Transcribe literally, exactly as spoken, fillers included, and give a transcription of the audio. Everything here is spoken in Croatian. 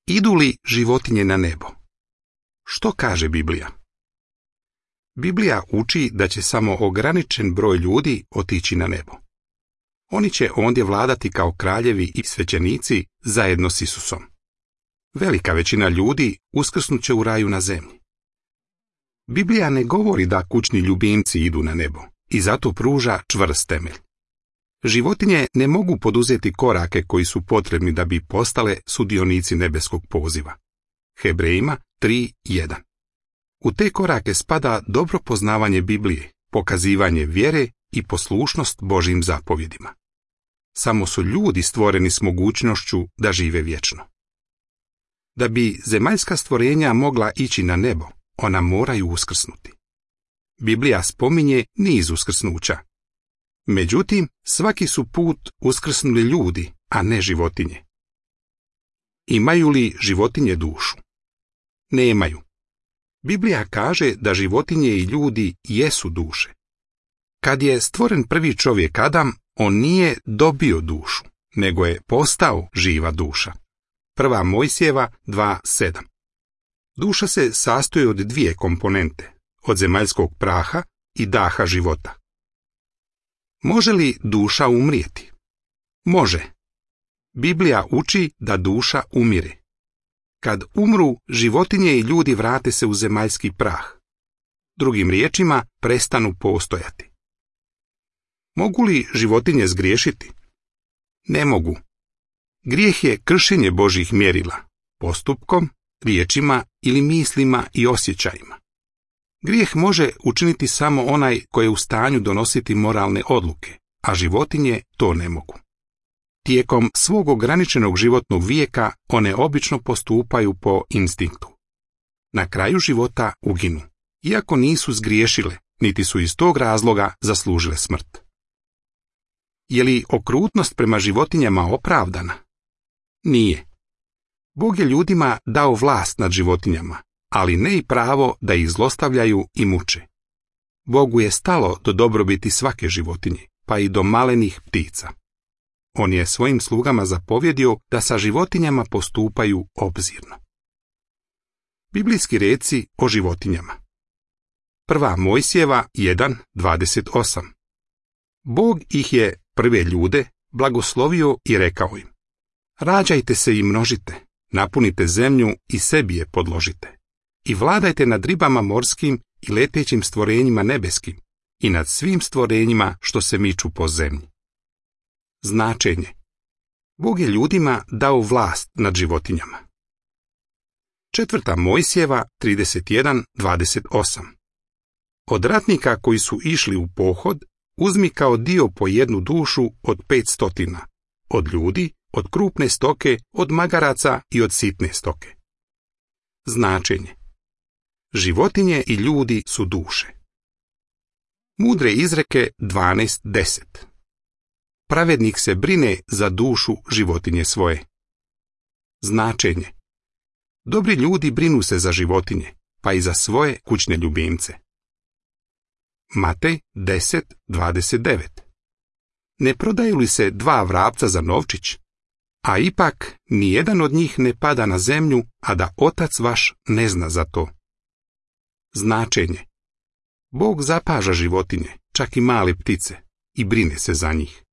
Idu li životinje na nebo? Što kaže Biblija? Biblija uči da će samo ograničen broj ljudi otići na nebo. Oni će ondje vladati kao kraljevi i svećenici zajedno s Isusom. Velika većina ljudi uskrsnut će u raju na zemlji. Biblija ne govori da kućni ljubimci idu na nebo i zato pruža čvrst temelj. Životinje ne mogu poduzeti korake koji su potrebni da bi postale sudionici nebeskog poziva. Hebrejima tri jedan. U te korake spada dobro poznavanje Biblije, pokazivanje vjere i poslušnost Božjim zapovjedima. Samo su ljudi stvoreni s mogućnošću da žive vječno. Da bi zemaljska stvorenja mogla ići na nebo, ona moraju uskrsnuti. Biblija spominje niz uskrsnuća. Međutim, svaki su put uskrsnuli ljudi, a ne životinje. Imaju li životinje dušu? Nemaju. Biblija kaže da životinje i ljudi jesu duše. Kad je stvoren prvi čovjek Adam, on nije dobio dušu, nego je postao živa duša. Prva Mojsijeva dva sedam. Duša se sastoji od dvije komponente, od zemaljskog praha i daha života. Može li duša umrijeti? Može. Biblija uči da duša umire. Kad umru, životinje i ljudi vrate se u zemaljski prah. Drugim riječima, prestanu postojati. Mogu li životinje zgriješiti? Ne mogu. Grijeh je kršenje Božjih mjerila, postupkom, riječima ili mislima i osjećajima. Grijeh može učiniti samo onaj koji je u stanju donositi moralne odluke, a životinje to ne mogu. Tijekom svog ograničenog životnog vijeka one obično postupaju po instinktu. Na kraju života uginu, iako nisu zgriješile, niti su iz tog razloga zaslužile smrt. Je li okrutnost prema životinjama opravdana? Nije. Bog je ljudima dao vlast nad životinjama, ali ne i pravo da ih zlostavljaju i muče. Bogu je stalo do dobrobiti svake životinje, pa i do malenih ptica. On je svojim slugama zapovjedio da sa životinjama postupaju obzirno. Biblijski reci o životinjama. Prva Mojsijeva jedan dvadeset osam. Bog ih je, prve ljude, blagoslovio i rekao im: rađajte se i množite, napunite zemlju i sebi je podložite. I vladajte nad ribama morskim i letećim stvorenjima nebeskim i nad svim stvorenjima što se miču po zemlji. Značenje. Bog je ljudima dao vlast nad životinjama. Četvrta Mojsijeva trideset jedan dvadeset osam. Od ratnika koji su išli u pohod, uzmi kao dio po jednu dušu od pet stotina, od ljudi, od krupne stoke, od magaraca i od sitne stoke. Značenje. Životinje i ljudi su duše. Mudre izreke dvanaest deset. Pravednik se brine za dušu životinje svoje. Značenje. Dobri ljudi brinu se za životinje, pa i za svoje kućne ljubimce. Matej deset dvadeset devet. Ne prodaju li se dva vrapca za novčić? A ipak nijedan od njih ne pada na zemlju, a da otac vaš ne zna za to. Značenje. Bog zapaža životinje, čak i male ptice, i brine se za njih.